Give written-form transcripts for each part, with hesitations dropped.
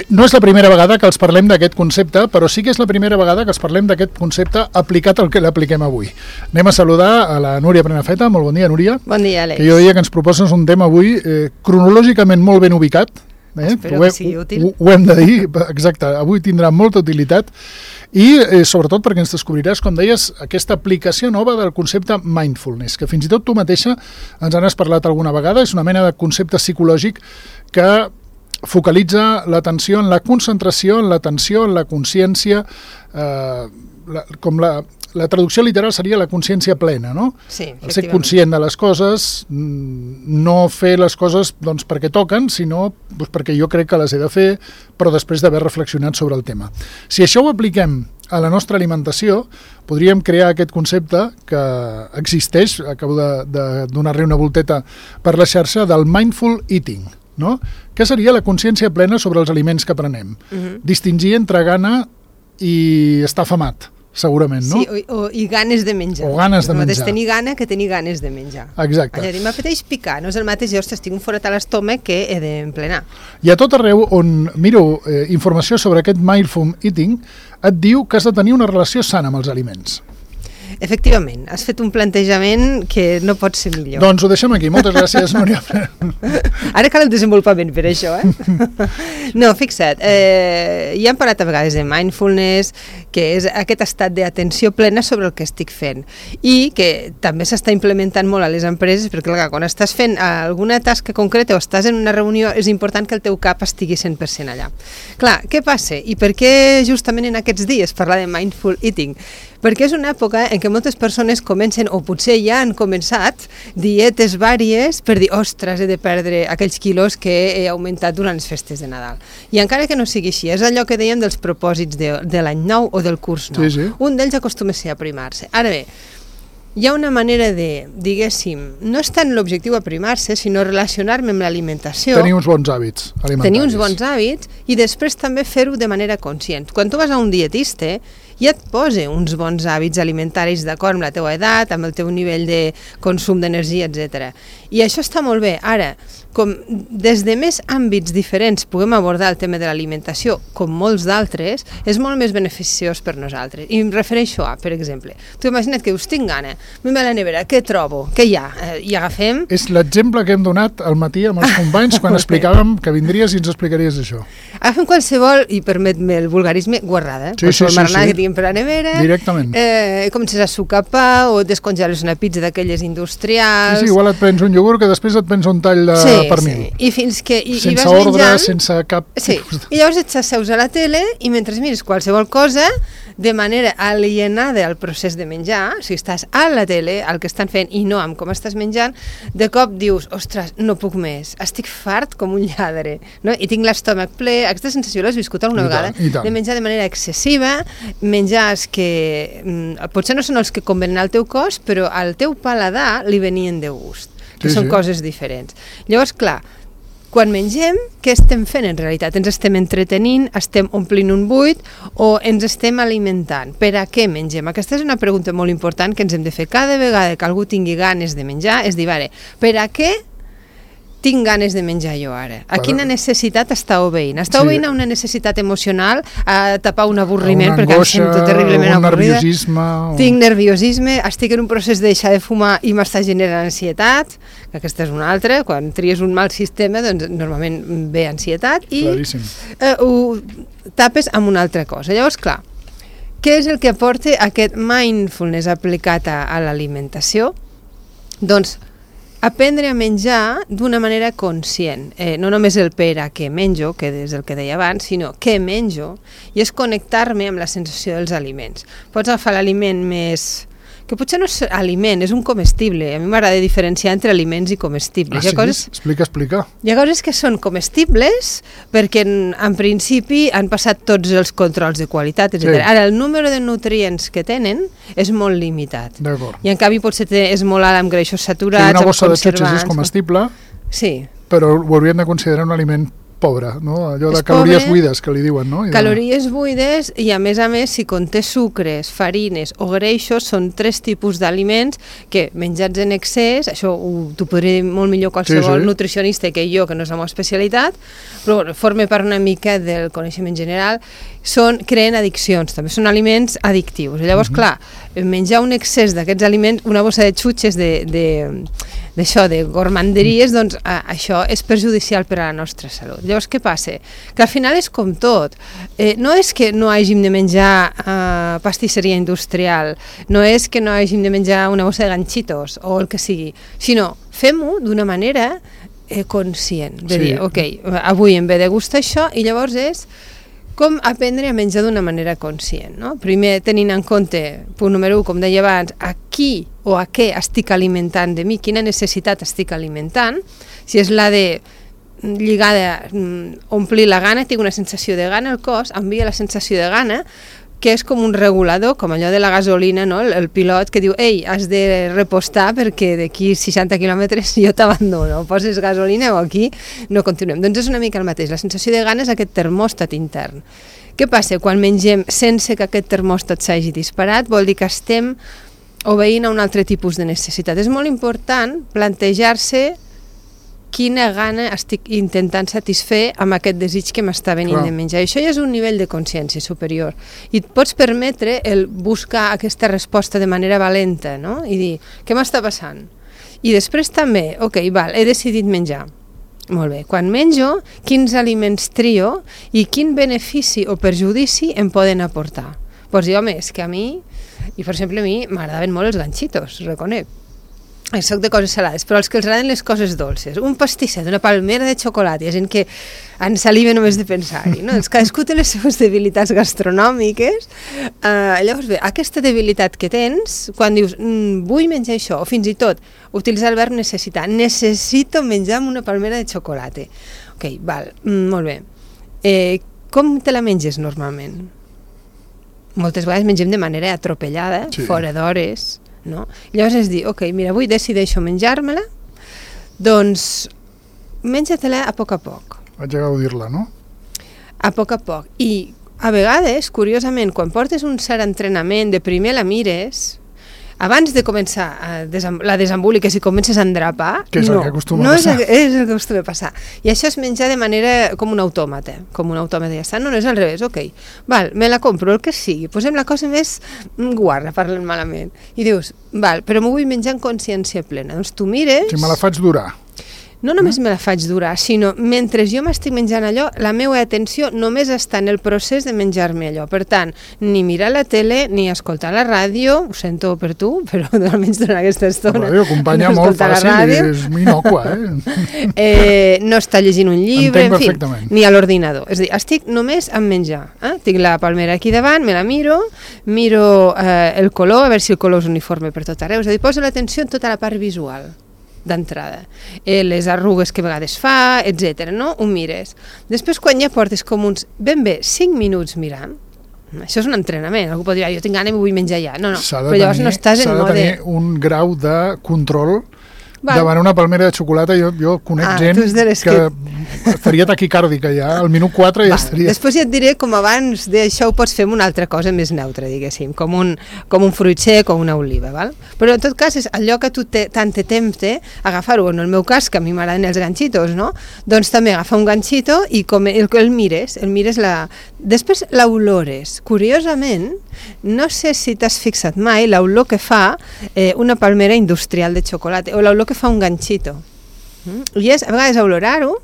No és la primera vegada que els parlem d'aquest concepte, però sí que és la primera vegada que els parlem d'aquest concepte aplicat al que l'apliquem avui. Anem a saludar a la Núria Prenafeta. Molt bon dia, Núria. Bon dia, Àlex. Que jo diria que ens proposes un tema avui cronològicament molt ben ubicat. Espero que sigui útil. Ho hem de dir, exacte. Avui tindrà molta utilitat i sobretot perquè ens descobriràs, com deies, aquesta aplicació nova del concepte mindfulness, que fins i tot tu mateixa ens n'has parlat alguna vegada. És una mena de concepte psicològic que focalitza l'atenció en la concentració, en l'atenció, en la consciència, com la traducció literal seria la consciència plena, no? Sí, el ser conscient de les coses, no fer les coses doncs, perquè toquen, sinó doncs, perquè jo crec que les he de fer, però després d'haver reflexionat sobre el tema. Si això ho apliquem a la nostra alimentació, podríem crear aquest concepte que existeix, acabo de donar-li una volteta per la xarxa, del mindful eating, no? Que seria la consciència plena sobre els aliments que prenem. Distingir entre gana i estar afamat, segurament, no? Sí, i ganes de menjar. O ganes de menjar. Tenir gana que tenir ganes de menjar. Exacte. Allà, m'apeteix picar, no és el mateix, ostres, tinc un forat a l'estómac que he d'emplenar. I a tot arreu on miro informació sobre aquest mindful eating, et diu que has de tenir una relació sana amb els aliments. Efectivament, has fet un plantejament que no pot ser millor. Doncs ho deixem aquí. Moltes gràcies, Núria. Ara cal el desenvolupament per això, No, fixa't, ja hem parlat a vegades de mindfulness, que és aquest estat d'atenció plena sobre el que estic fent i que també s'està implementant molt a les empreses, perquè clar, quan estàs fent alguna tasca concreta o estàs en una reunió és important que el teu cap estigui 100% allà. Clar, què passa? I per què justament en aquests dies parlar de mindful eating? Perquè és una època en què moltes persones comencen, o potser ja han començat, dietes vàries per dir, ostres, he de perdre aquells quilos que he augmentat durant les festes de Nadal. I encara que no sigui així, és allò que dèiem dels propòsits de l'any nou o del curs nou. Sí. Un d'ells acostuma a ser aprimar-se. Ara bé, hi ha una manera de, diguéssim, no és tant l'objectiu aprimar-se, sinó relacionar-me amb l'alimentació. Tenir uns bons hàbits alimentaris. Tenir uns bons hàbits i després també fer-ho de manera conscient. Quan tu vas a un dietista, ja et posa uns bons hàbits alimentaris d'acord amb la teva edat, amb el teu nivell de consum d'energia, etc. I això està molt bé. Ara, com des de més àmbits diferents puguem abordar el tema de l'alimentació, com molts d'altres, és molt més beneficiós per nosaltres. I em refereixo a, per exemple, tu imagina't que us tinc gana, anem a la nevera, què trobo? Què hi ha? I agafem... És l'exemple que hem donat al matí amb els companys quan explicàvem que vindries i ens explicaries això. Agafem qualsevol, i permet-me el vulgarisme, guarrada. Sí. Que tinguem per la nevera. Directament. Comences a sucar pa o descongeles una pizza d'aquelles industrials. Sí, igual et prens un iogurt que després et prens un tall de pernil. Sí. I fins que... sense vas ordre, menjant, sense cap... Sí, i llavors et asseus a la tele i mentre mires qualsevol cosa, de manera alienada al procés de menjar, si estàs a la tele, el que estan fent, i no amb com estàs menjant, de cop dius, ostres, no puc més, estic fart com un lladre, no? I tinc l'estómac ple. Aquesta sensació l'has viscut alguna vegada? De menjar de manera excessiva, menjars que potser no són els que convenen al teu cos, però al teu paladar li venien de gust, que són coses diferents. Llavors, clar, quan mengem, què estem fent en realitat? Ens estem entretenint, estem omplint un buit o ens estem alimentant? Per a què mengem? Aquesta és una pregunta molt important que ens hem de fer cada vegada que algú tingui ganes de menjar, és dir, vale, per a què tinc ganes de menjar jo ara? A quina necessitat està obeint? Està obeint a una necessitat emocional, a tapar un avorriment, perquè em sento terriblement avorrida. Tinc nerviosisme, estic en un procés de deixar de fumar i m'està generant ansietat, que aquesta és una altra. Quan tries un mal sistema, doncs normalment ve ansietat i ho tapes amb una altra cosa. Llavors, clar, què és el que aporta aquest mindfulness aplicat a l'alimentació? Doncs aprendre a menjar d'una manera conscient, no només el per a què menjo, que és el que deia abans, sinó què menjo, i és connectar-me amb la sensació dels aliments. Pots agafar l'aliment més... que potser no és aliment, és un comestible. A mi m'agrada diferenciar entre aliments i comestibles. Explica. Hi ha coses que són comestibles perquè en principi han passat tots els controls de qualitat, etc. Ara, el número de nutrients que tenen és molt limitat. I en canvi potser és molt alt amb greixos saturats, una bossa de xutxes és comestible, sí, però ho hauríem de considerar un aliment pobre, no? Allò de És calories pobre, buides, que li diuen, no? Calories buides i, a més, si conté sucres, farines o greixos, són 3 tipus d'aliments que, menjats en excés, això t'ho podria dir molt millor qualsevol nutricionista que jo, que no és la meva especialitat, però bueno, forma part una mica del coneixement general, creen addiccions, també són aliments addictius. I llavors, clar, menjar un excés d'aquests aliments, una bossa de xutxes d'això, de gormanderies, doncs això és perjudicial per a la nostra salut. Llavors, què passa? Que al final és com tot. No és que no hàgim de menjar pastisseria industrial, no és que no hàgim de menjar una bossa de ganxitos o el que sigui, sinó fem-ho d'una manera conscient, de dir, ok, avui em ve de gust això, i llavors és com aprendre a menjar d'una manera conscient, no? Primer, tenint en compte, punt número 1, com deia abans, a qui o a què estic alimentant de mi, quina necessitat estic alimentant, si és la de lligada, omplir la gana, tinc una sensació de gana, el cos envia la sensació de gana, que és com un regulador, com allò de la gasolina, no? El pilot que diu, ei, has de repostar perquè d'aquí 60 quilòmetres jo t'abandono, poses gasolina o aquí no continuem. Doncs és una mica el mateix, la sensació de gana és aquest termòstat intern. Què passa? Quan mengem sense que aquest termòstat s'hagi disparat, vol dir que estem obeint a un altre tipus de necessitat. És molt important plantejar-se quina gana estic intentant satisfer amb aquest desig que m'està venint de menjar. I això ja és un nivell de consciència superior. I et pots permetre el buscar aquesta resposta de manera valenta, no? I dir, què m'està passant? I després també, ok, he decidit menjar. Molt bé, quan menjo, quins aliments trio i quin benefici o perjudici em poden aportar? Pots dir, home, és que a mi, i per exemple a mi m'agradaven molt els ganxitos, reconec. Soc de coses salades, però els que els agraden les coses dolces, un pastisset, una palmera de xocolata, hi ha gent que en saliva només de pensar-hi, no? Cadascú té les seves debilitats gastronòmiques, llavors bé, aquesta debilitat que tens, quan dius, vull menjar això, o fins i tot utilitzar el verb necessitar, necessito menjar amb una palmera de xocolata. Ok, molt bé. Com te la menges normalment? Moltes vegades mengem de manera atropellada, fora d'hores, no? Llavors és dir, ok, mira, avui decideixo menjar-me-la, doncs menja-te-la a poc. Vaig a gaudir-la, no? A poc. I a vegades, curiosament, quan portes un cert entrenament, de primer la mires, abans de començar la desemboliques i comences a endrapar, que és el que acostuma a passar. És el que acostuma a passar. I això és menjar de manera com un autòmata, ja està, no és al revés, ok, me la compro, el que sigui, posem la cosa més guarra, parlant malament, i dius, però m'ho vull menjar en consciència plena, doncs tu mires... Si me la faig durar. No només me la faig durar, sinó mentre jo m'estic menjant allò, la meva atenció només està en el procés de menjar-me allò. Per tant, ni mirar la tele, ni escoltar la ràdio, ho sento per tu, però almenys durant aquesta estona... La ràdio acompanya molt fàcil i és inocua, no està llegint un llibre, en fi, ni a l'ordinador. És a dir, estic només en menjar. Tinc la palmera aquí davant, me la miro el color, a veure si el color és uniforme per tot arreu. És a dir, poso l'atenció en tota la part visual d'entrada, les arrugues que a vegades fa, etc. no? Ho mires. Després, quan ja portes com uns ben bé 5 minuts mirant, això és un entrenament, algú pot dir, jo tinc gana i m'ho vull menjar ja. No, però llavors no estàs en mode... S'ha de tenir un grau de control davant una palmera de xocolata. Jo conec gent que estaria taquicàrdica ja, al minut 4 ja estaria... Després ja et diré com abans d'això ho pots fer amb una altra cosa més neutra, diguéssim, com un fruit sec o una oliva, val? Però en tot cas és allò que tu tant te tempte agafar-ho, en el meu cas, que a mi m'agraden els ganxitos, no? Doncs també agafa un ganxito i com el mires després l'olores. Curiosament, no sé si t'has fixat mai l'olor que fa una palmera industrial de xocolata o l'olor que fa un ganxito. I és a vegades olorar-ho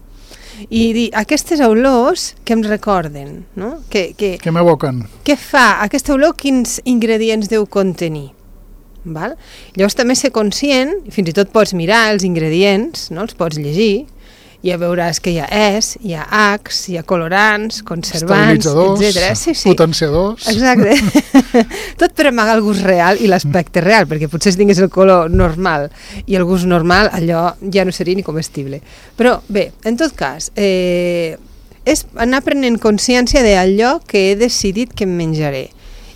i dir, aquestes olors que em recorden, no? Que m'evoquen. Què fa? Aquesta olor, quins ingredients deu contenir? Val? Llavors també ser conscient, fins i tot pots mirar els ingredients, no? Els pots llegir, i ja veuràs que hi ha Es, hi ha Acs, hi ha colorants, conservants, etc. Sí, potenciadors... Exacte. Tot per amagar el gust real i l'aspecte real, perquè potser si tingués el color normal i el gust normal, allò ja no seria ni comestible. Però bé, en tot cas, és anar prenent consciència d'allò que he decidit que em menjaré.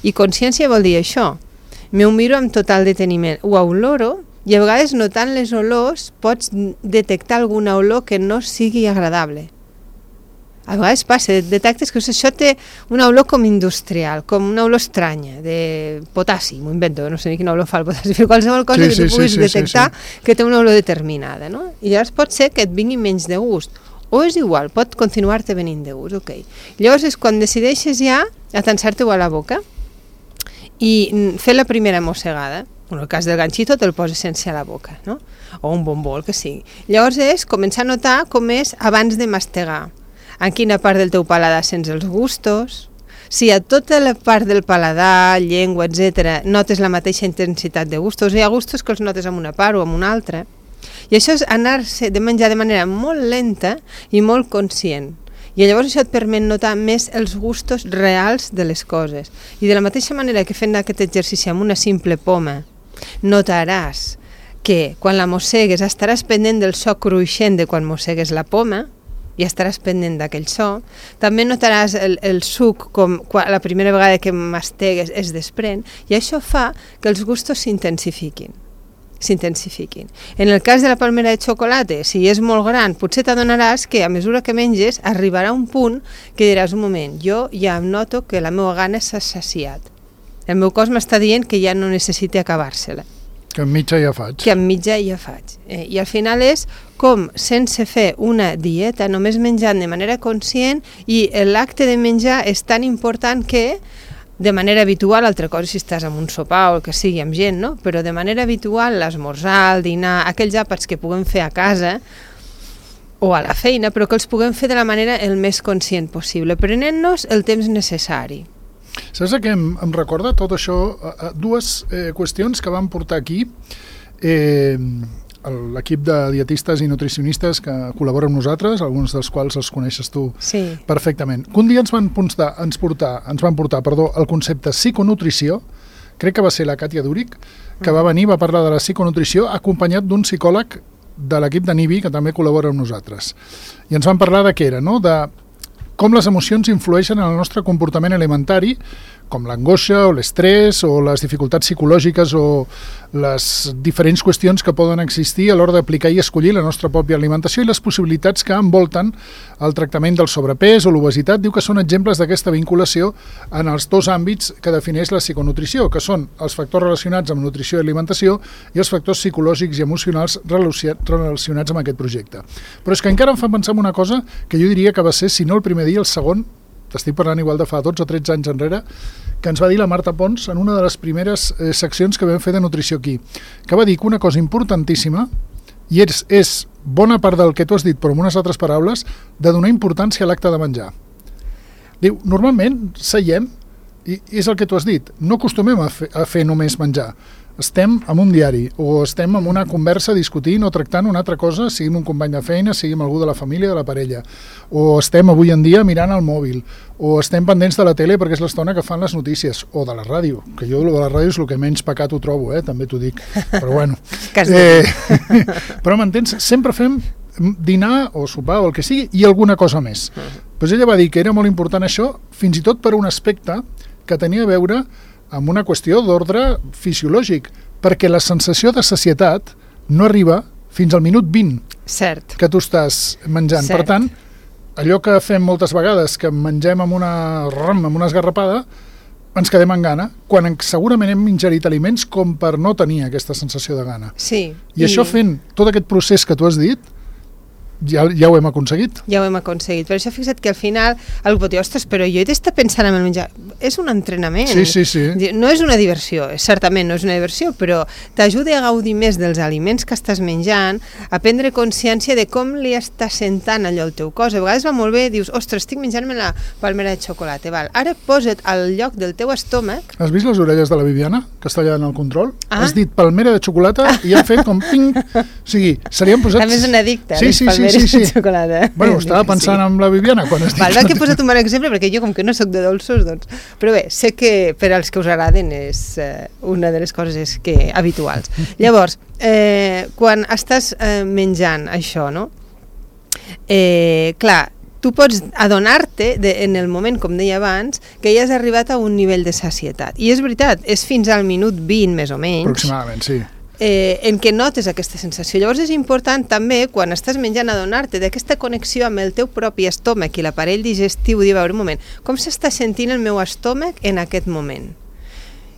I consciència vol dir això. M'ho miro amb total deteniment, ho oloro, i a vegades notant les olors pots detectar alguna olor que no sigui agradable. A vegades passa, detectes que això té una olor com industrial, com una olor estranya, de potassi, m'ho invento, no sé ni quina olor fa el potassi, però qualsevol cosa que tu puguis detectar que té una olor determinada, no? I llavors pot ser que et vingui menys de gust, o és igual, pot continuar-te venint de gust, ok. Llavors és quan decideixes ja atensar-te-ho a la boca i fer la primera mossegada. En el cas del ganxito te'l poses sense a la boca, no? O un bombó, el que sigui. Llavors és començar a notar com és abans de mastegar. En quina part del teu paladar sents els gustos, si a tota la part del paladar, llengua, etc., notes la mateixa intensitat de gustos, hi ha gustos que els notes en una part o en una altra, i això és anar-se de menjar de manera molt lenta i molt conscient. I llavors això et permet notar més els gustos reals de les coses. I de la mateixa manera que fent aquest exercici amb una simple poma, notaràs que quan la mossegues estaràs pendent del so cruixent de quan mossegues la poma, i estaràs pendent d'aquell so. També notaràs el suc com la primera vegada que mastegues es desprèn, i això fa que els gustos s'intensifiquin. En el cas de la palmera de xocolata, si és molt gran, potser t'adonaràs que a mesura que menges arribarà un punt que diràs, un moment, jo ja noto que la meva gana s'ha saciat. El meu cos m'està dient que ja no necessita acabar-se-la. Que en mitja ja faig. I al final és com, sense fer una dieta, només menjant de manera conscient, i l'acte de menjar és tan important que, de manera habitual, altra cosa si estàs en un sopar o el que sigui amb gent, no? Però de manera habitual, l'esmorzar, el dinar, aquells àpats que puguem fer a casa o a la feina, però que els puguem fer de la manera el més conscient possible, prenent-nos el temps necessari. Saps què em recorda tot això? Dues qüestions que van portar aquí l'equip de dietistes i nutricionistes que col·laboren amb nosaltres, alguns dels quals els coneixes tu perfectament. Un dia ens van portar el concepte psiconutrició, crec que va ser la Càtia Dúric, que va venir, va parlar de la psiconutrició acompanyat d'un psicòleg de l'equip de NIBI que també col·labora amb nosaltres. I ens van parlar de què era, no? De com les emocions influeixen en el nostre comportament alimentari, com l'angoixa o l'estrès o les dificultats psicològiques o les diferents qüestions que poden existir a l'hora d'aplicar i escollir la nostra pròpia alimentació i les possibilitats que envolten el tractament del sobrepès o l'obesitat. Diu que són exemples d'aquesta vinculació en els dos àmbits que defineix la psiconutrició, que són els factors relacionats amb nutrició i alimentació i els factors psicològics i emocionals relacionats amb aquest projecte. Però és que encara em fa pensar en una cosa que jo diria que va ser, si no el primer dia, el segon, t'estic parlant igual de fa 12 o 13 anys enrere, que ens va dir la Marta Pons en una de les primeres seccions que vam fer de nutrició aquí, que va dir que una cosa importantíssima, i és bona part del que tu has dit, però amb unes altres paraules, de donar importància a l'acte de menjar. Diu, normalment seiem, i és el que tu has dit, no acostumem a fer només menjar. Estem en un diari o estem en una conversa discutint o tractant una altra cosa, sigui un company de feina, sigui amb algú de la família, de la parella, o estem avui en dia mirant el mòbil, o estem pendents de la tele perquè és l'estona que fan les notícies, o de la ràdio, que jo de la ràdio és el que menys pecat ho trobo, també t'ho dic, però bueno. Però m'entens? Sempre fem dinar o sopar o el que sigui i alguna cosa més. Doncs ella va dir que era molt important això, fins i tot per un aspecte que tenia a veure amb una qüestió d'ordre fisiològic, perquè la sensació de sacietat no arriba fins al minut 20 que tu estàs menjant. Per tant, allò que fem moltes vegades, que mengem amb una esgarrapada, ens quedem amb gana, quan segurament hem ingerit aliments com per no tenir aquesta sensació de gana. I això fent tot aquest procés que tu has dit, ja ho hem aconseguit. Per això fixa't que al final algú pot dir, ostres, però jo he d'estar pensant en el menjar. És un entrenament. Sí. No és una diversió, certament no és una diversió, però t'ajuda a gaudir més dels aliments que estàs menjant, a prendre consciència de com li està sentant allò al teu cos. A vegades va molt bé, dius, ostres, estic menjant-me la palmera de xocolata. Ara posa't al lloc del teu estómac. Has vist les orelles de la Viviana, que està allà en el control? Has dit palmera de xocolata i han fet com ping. O sigui, se li han posat... També és un addicte. Sí. Bueno, estava pensant en la Viviana quan estic... Val que he posat un bon exemple, perquè jo, com que no sóc de dolços, doncs... Però bé, sé que per als que us agraden és una de les coses habituals. Llavors, quan estàs menjant això, no? Clar, tu pots adonar-te en el moment, com deia abans, que ja has arribat a un nivell de sacietat. I és veritat, és fins al minut 20, més o menys. Aproximadament, sí. en què notes aquesta sensació. Llavors és important també, quan estàs menjant, adonar-te d'aquesta connexió amb el teu propi estómac i l'aparell digestiu, dir, veure, un moment, com s'està sentint el meu estómac en aquest moment?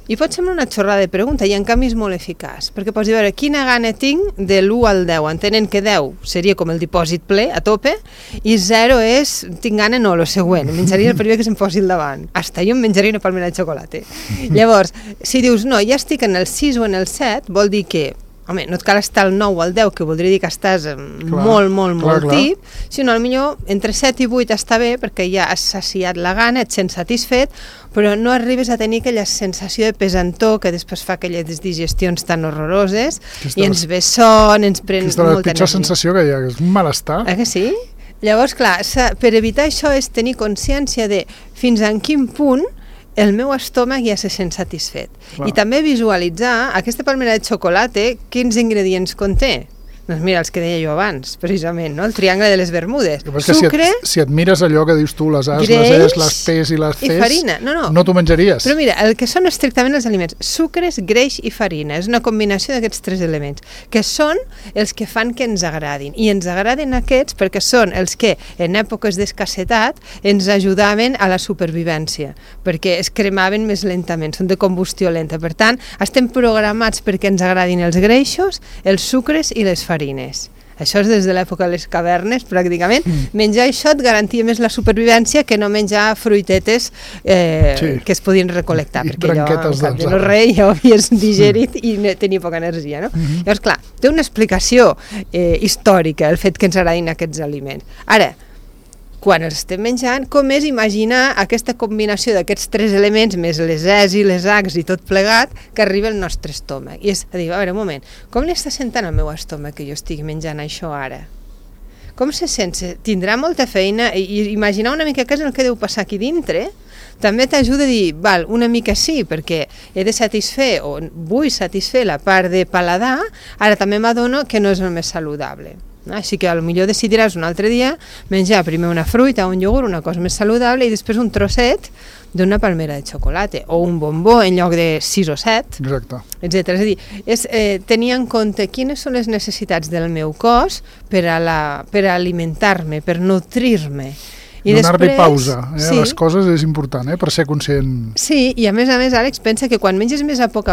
I pot semblar una xorrada de pregunta, i en canvi és molt eficaç, perquè pots dir, veure, quina gana tinc de l'1 al 10, entenent que 10 seria com el dipòsit ple, a tope, i 0 és, tinc gana, no, lo següent, menjaria el primer que se'm posi al davant. Hasta jo em menjaria una palmera de xocolata. Llavors, si dius, no, ja estic en el 6 o en el 7, vol dir que, home, no et cal estar al 9 o al 10, que voldria dir que estàs molt tip, sinó potser entre 7 i 8 està bé, perquè ja has saciat la gana, et sents satisfet, però no arribes a tenir aquella sensació de pesantor que després fa aquelles digestions tan horroroses, i ens ve son, ens pren molta energia. És la pitjor sensació que hi ha, és un malestar. Que sí? Llavors, clar, per evitar això és tenir consciència de fins en quin punt el meu estómac ja se sent satisfet. Clar. I també visualitzar aquesta palmera de xocolata, quins ingredients conté. Doncs mira, els que deia jo abans, precisament, no? El triangle de les Bermudes. Sucre, si et mires allò que dius tu, les A's, les E's, les P's i les C's, i farina. No t'ho menjaries. Però mira, el que són estrictament els aliments, sucres, greix i farina, és una combinació d'aquests 3 elements, que són els que fan que ens agradin. I ens agraden aquests perquè són els que, en èpoques d'escassetat, ens ajudaven a la supervivència, perquè es cremaven més lentament, són de combustió lenta. Per tant, estem programats perquè ens agradin els greixos, els sucres i les farines. Això és des de l'època de les cavernes, pràcticament. Menjar això et garantia més la supervivència que no menjar fruitetes que es podien recol·lectar, perquè allò, al cap de no rei, ja ho havies digerit i tenia poca energia, no? Llavors, clar, té una explicació històrica el fet que ens agradin aquests aliments. Ara, quan els estem menjant, com és imaginar aquesta combinació d'aquests 3 elements, més les E's i les H's i tot plegat, que arriba al nostre estómac. I és a dir, a veure, un moment, com li està sentant el meu estómac que jo estic menjant això ara? Com se sent? Tindrà molta feina? I imaginar una mica què és el que deu passar aquí dintre, també t'ajuda a dir, val, una mica sí, perquè he de satisfer o vull satisfer la part de paladar, ara també m'adono que no és el més saludable. Així que potser decidiràs un altre dia menjar primer una fruita, un iogurt, una cosa més saludable, i després un trosset d'una palmera de xocolata, o un bombó en lloc de 6 o 7, etc. És a dir, és tenir en compte quines són les necessitats del meu cos per alimentar-me, per nodrir-me. Donar-li pausa a les coses és important, per ser conscient. Sí, i a més, Àlex, pensa que quan menges més a poc,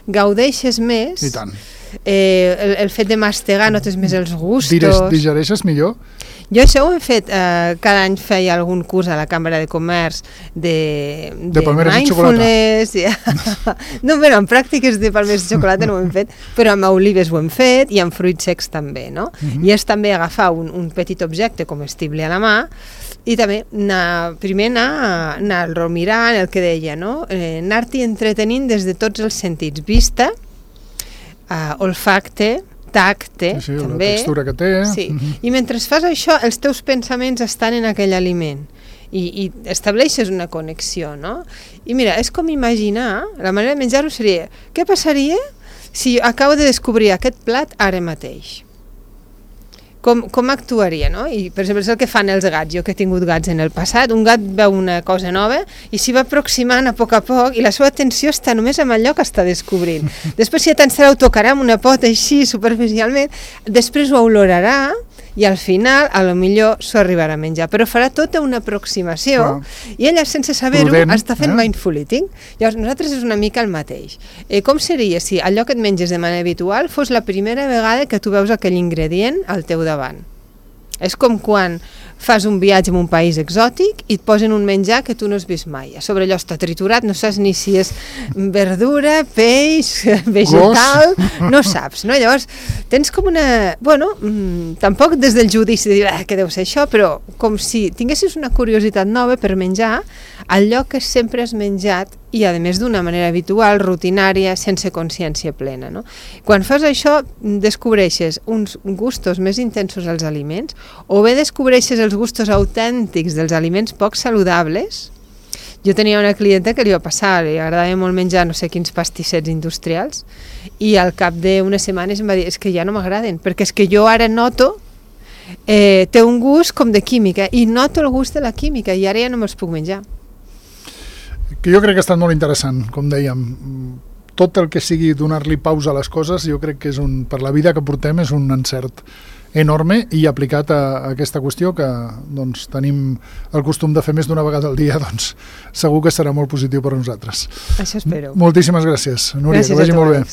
gaudeixes més. I tant. El fet de mastegar notes més els gustos. Digereixes millor? Jo això ho he fet, cada any feia algun curs a la Cambra de Comerç de mindfulness. No, però en pràctiques de palmeres de xocolata no ho hem fet, però amb olives ho hem fet i amb fruits secs també, no? I és també agafar un petit objecte comestible a la mà i també primer anar-lo mirant, el que deia, no? Anar-t'hi entretenint des de tots els sentits, vista, olfacte, tacte, també. La textura que té. Sí. I mentre fas això, els teus pensaments estan en aquell aliment i estableixes una connexió, no? I mira, és com imaginar, la manera de menjar-ho seria, què passaria si acabo de descobrir aquest plat ara mateix? Com actuaria, no? I, per exemple, és el que fan els gats. Jo que he tingut gats en el passat, un gat veu una cosa nova i s'hi va aproximant a poc i la seva atenció està només amb allò que està descobrint. Després, si tant se l'autocarà amb una pota així, superficialment, després ho olorarà i al final, a lo millor, s'ho arribarà a menjar. Però farà tota una aproximació i ella, sense saber-ho, està fent mindful eating. Llavors, nosaltres és una mica el mateix. Com seria si allò que et menges de manera habitual fos la primera vegada que tu veus aquell ingredient al teu davant? És com quan fas un viatge en un país exòtic i et posen un menjar que tu no has vist mai. A sobre allò està triturat, no saps ni si és verdura, peix, vegetal, no saps, no? Llavors, tens com una... Bueno, tampoc des del judici de dir què deu ser això, però com si tinguessis una curiositat nova per menjar allò que sempre has menjat i, a més, d'una manera habitual, rutinària, sense consciència plena, no? Quan fas això, descobreixes uns gustos més intensos als aliments, o bé descobreixes els gustos autèntics dels aliments poc saludables. Jo tenia una clienta que li va passar, li agradava molt menjar no sé quins pastissets industrials, i al cap d'unes setmanes em va dir, és que ja no m'agraden, perquè és que jo ara noto té un gust com de química, i noto el gust de la química, i ara ja no me'ls puc menjar. Que jo crec que ha estat molt interessant, com dèiem. tot el que sigui donar-li pausa a les coses, jo crec que per la vida que portem és un encert enorme, i aplicat a aquesta qüestió que doncs, tenim el costum de fer més d'una vegada al dia, doncs segur que serà molt positiu per a nosaltres. Això espero. Moltíssimes gràcies, Núria, Gràcies, que vagi molt bé.